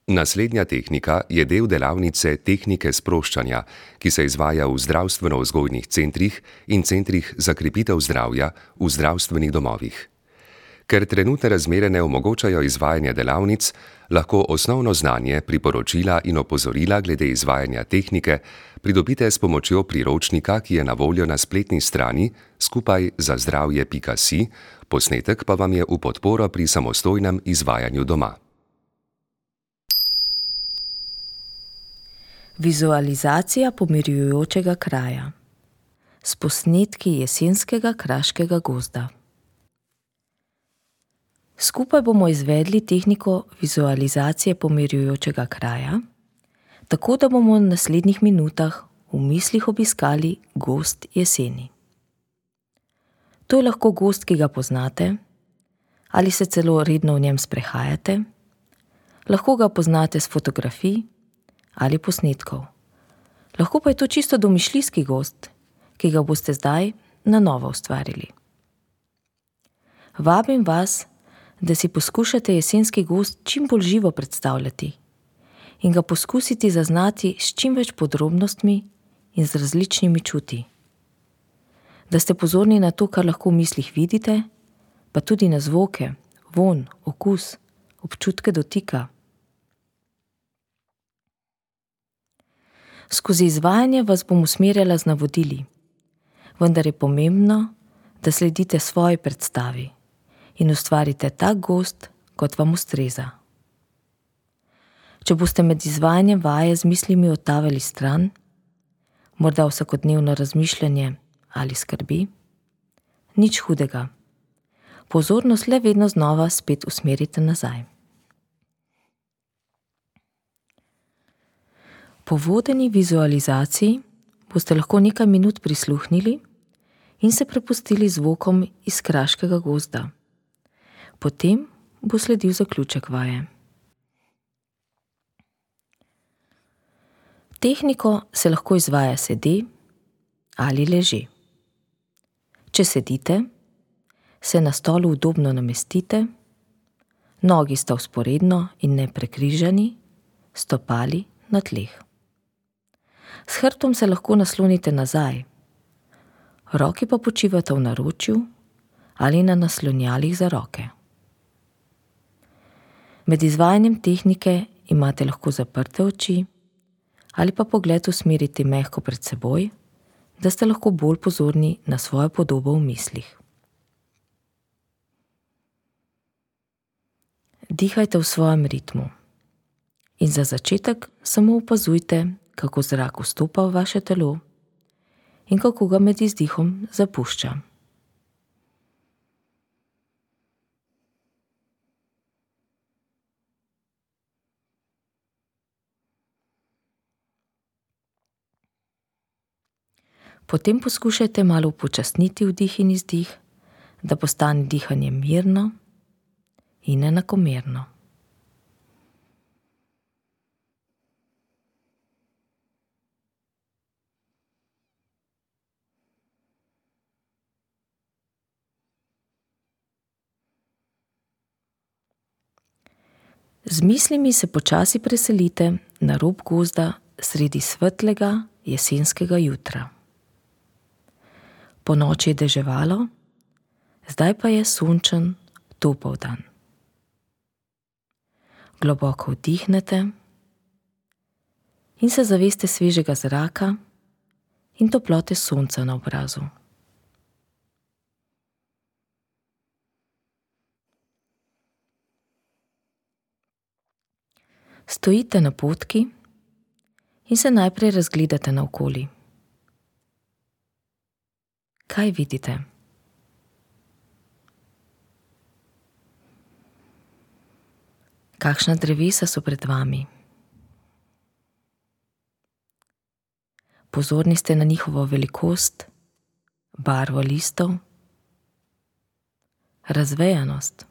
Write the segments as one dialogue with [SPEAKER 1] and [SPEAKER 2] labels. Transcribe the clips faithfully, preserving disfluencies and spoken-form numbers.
[SPEAKER 1] Naslednja tehnika je del delavnice tehnike sproščanja, ki se izvaja v zdravstveno-vzgojnih centrih in centrih za krepitev zdravja v zdravstvenih domovih. Ker trenutne razmere ne omogočajo izvajanja delavnic, lahko osnovno znanje, priporočila in opozorila glede izvajanja tehnike pridobite s pomočjo priročnika, ki je na voljo na spletni strani skupaj za zdravje pika si, posnetek pa vam je v podporo pri samostojnem izvajanju doma.
[SPEAKER 2] Vizualizacija pomirjujočega kraja s posnetki jesenskega kraškega gozda. Skupaj bomo izvedli tehniko vizualizacije pomirjujočega kraja, tako da bomo v naslednjih minutah v mislih obiskali gozd jeseni. To je lahko gozd, ki ga poznate, ali se celo redno v njem sprehajate, lahko ga poznate s fotografij ali posnetkov. Lahko pa je to čisto domišljijski gozd, ki ga boste zdaj na novo ustvarili. Vabim vas, da si poskušate jesenski gozd čim bolj živo predstavljati in ga poskusiti zaznati s čim več podrobnostmi in z različnimi čuti. Da ste pozorni na to, kar lahko v mislih vidite, pa tudi na zvoke, vonj, okus, občutke dotika. Skozi izvajanje vas bom usmerjala z navodili, vendar je pomembno, da sledite svoji predstavi in ustvarite tak gozd, kot vam ustreza. Če boste med izvajanjem vaje z mislimi odtavali stran, morda vsakodnevno razmišljanje ali skrbi, nič hudega. Pozornost le vedno znova spet usmerite nazaj. Po vodeni vizualizaciji boste lahko nekaj minut prisluhnili in se prepustili zvokom iz kraškega gozda. Potem bo sledil zaključek vaje. Tehniko se lahko izvaja sede ali leže. Če sedite, se na stolu udobno namestite, nogi sta vzporedno in ne prekrižani, stopali na tleh. S hrbtom se lahko naslonite nazaj, roki pa počivata v naročju ali na naslonjalih za roke. Med izvajanjem tehnike imate lahko zaprte oči ali pa pogled usmeriti mehko pred seboj, da ste lahko bolj pozorni na svojo podobo v mislih. Dihajte v svojem ritmu in za začetek samo opazujte, kako zrak vstopa v vaše telo in kako ga med izdihom zapušča. Potem poskušajte malo upočasniti vdih in izdih, da postane dihanje mirno in enakomerno. Z mislimi se počasi preselite na rob gozda sredi svetlega jesenskega jutra. Ponoči je deževalo, zdaj pa je sončen, topel dan. Globoko vdihnete in se zaveste svežega zraka in toplote sonca na obrazu. Stojite na potki in se najprej razgledate naokoli. Kaj vidite? Kakšna drevesa so pred vami? Pozorni ste na njihovo velikost, barvo listov, razvejanost.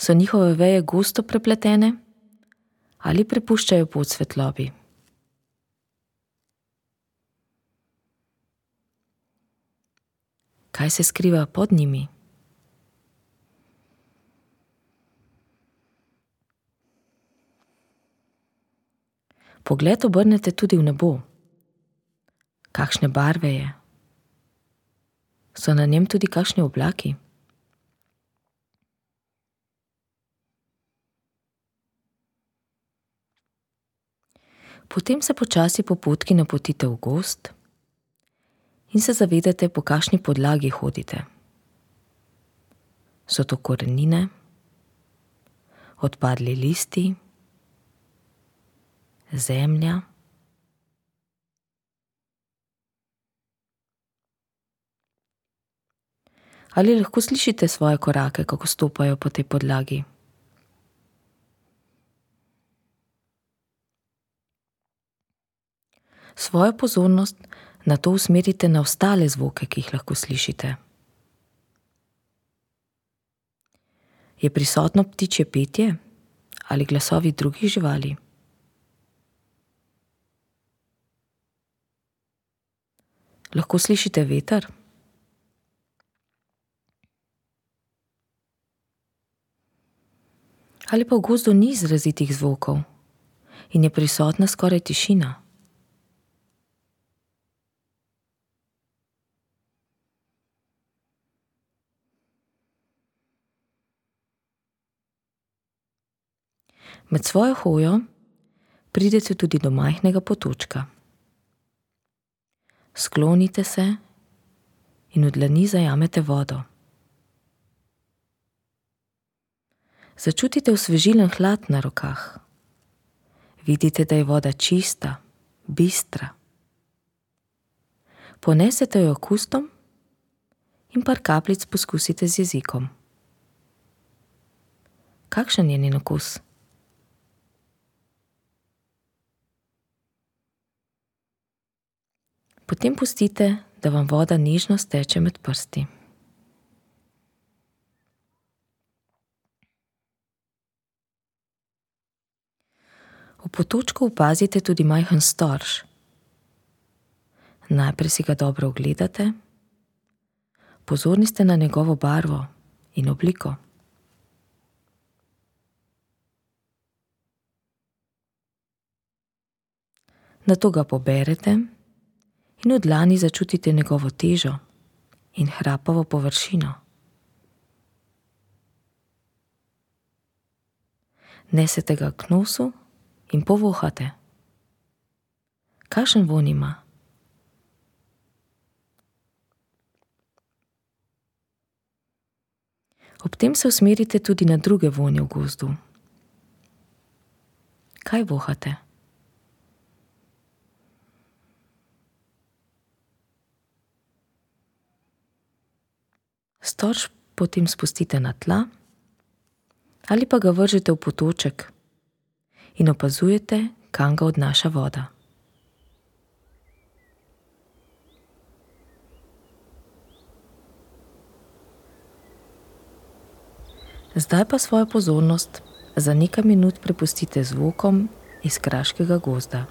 [SPEAKER 2] So njihove veje gosto prepletene ali prepuščajo pot svetlobi? Kaj se skriva pod njimi? Pogled obrnete tudi v nebo. Kakšne barve je? So na njem tudi kakšni oblaki? Potem se počasi po potki napotite v gozd in se zavedate, po kakšni podlagi hodite. So to korenine, odpadli listi, zemlja? Ali lahko slišite svoje korake, kako stopajo po tej podlagi? Svojo pozornost nato usmerite na ostale zvoke, ki jih lahko slišite. Je prisotno ptičje petje ali glasovi drugih živali? Lahko slišite veter? Ali pa v gozdu ni izrazitih zvokov in je prisotna skoraj tišina? Med svojo hojo pridete tudi do majhnega potočka. Sklonite se in v dlani zajamete vodo. Začutite osvežilen hlad na rokah. Vidite, da je voda čista, bistra. Ponesete jo k ustom in par kapljic poskusite z jezikom. Kakšen je njen okus? Potem pustite, da vam voda nežno steče med prsti. V potočku opazite tudi majhen storž. Najprej si ga dobro ogledate, pozorni ste na njegovo barvo in obliko. Nato ga poberete in v dlani začutite njegovo težo in hrapavo površino. Nesete ga k nosu in povohate. Kakšen vonj ima? Ob tem se usmerite tudi na druge vonje v gozdu. Kaj vohate? Storž potem spustite na tla ali pa ga vržete v potoček in opazujete, kam ga odnaša voda. Zdaj pa svojo pozornost za nekaj minut prepustite zvokom iz kraškega gozda.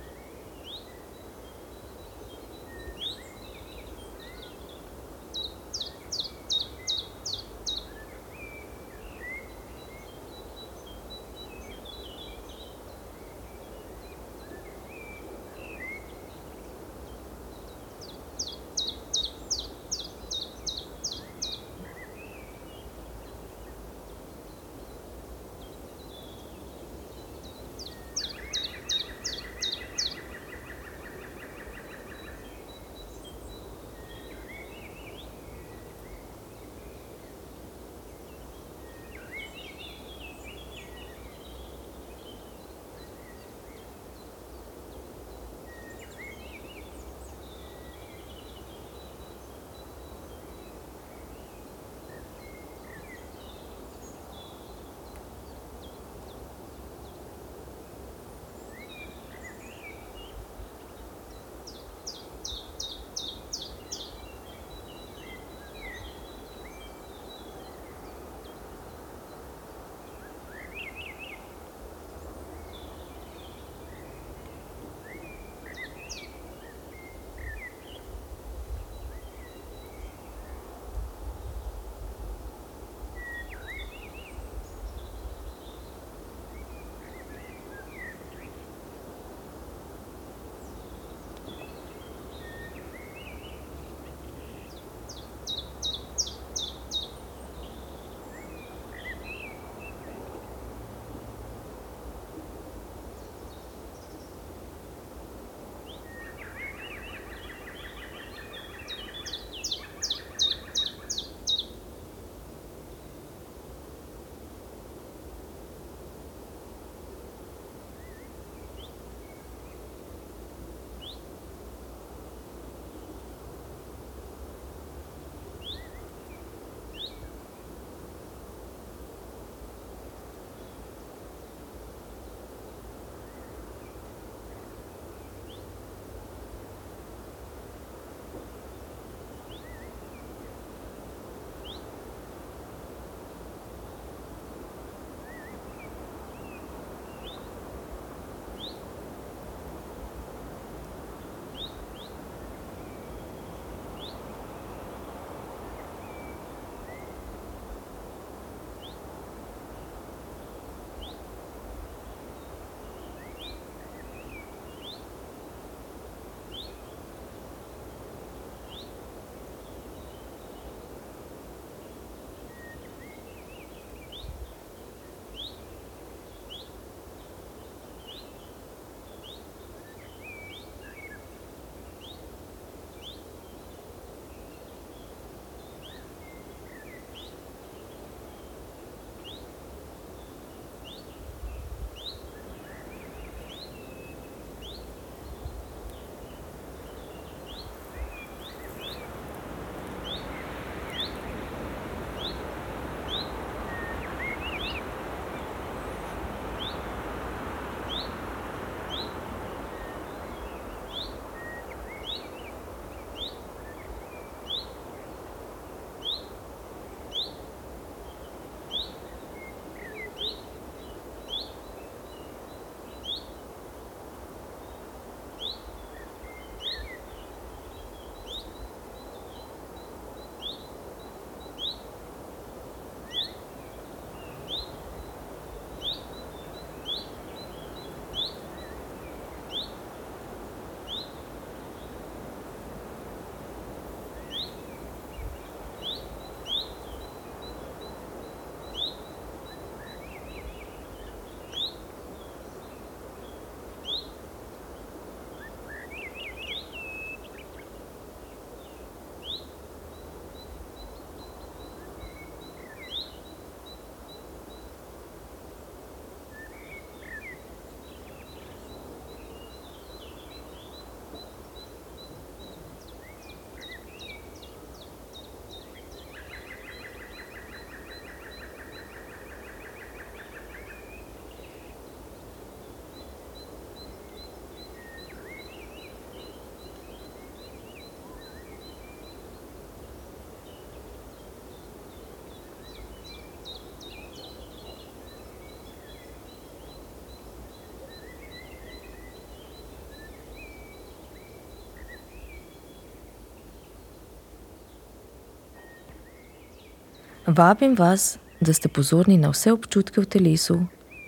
[SPEAKER 2] Vabim vas, da ste pozorni na vse občutke v telesu,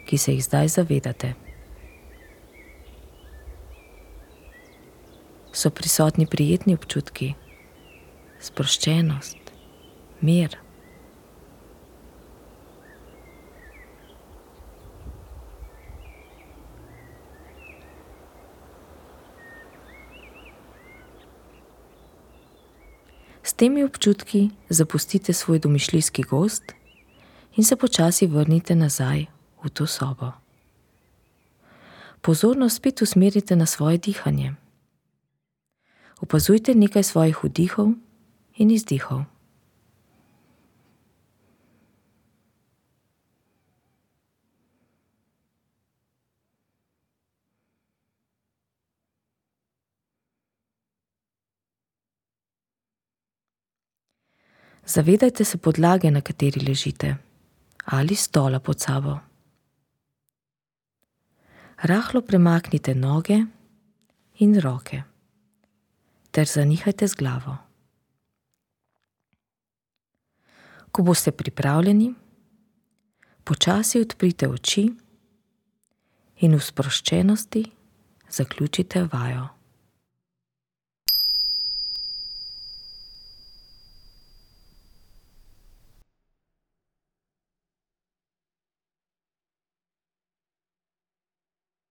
[SPEAKER 2] ki se jih zdaj zavedate. So prisotni prijetni občutki, sproščenost, mir. S temi občutki zapustite svoj domišljijski gozd in se počasi vrnite nazaj v to sobo. Pozornost spet usmerite na svoje dihanje. Opazujte nekaj svojih vdihov in izdihov. Zavedajte se podlage, na kateri ležite, ali stola pod sabo. Rahlo premaknite noge in roke ter zanihajte z glavo. Ko boste pripravljeni, počasi odprite oči in v sproščenosti zaključite vajo.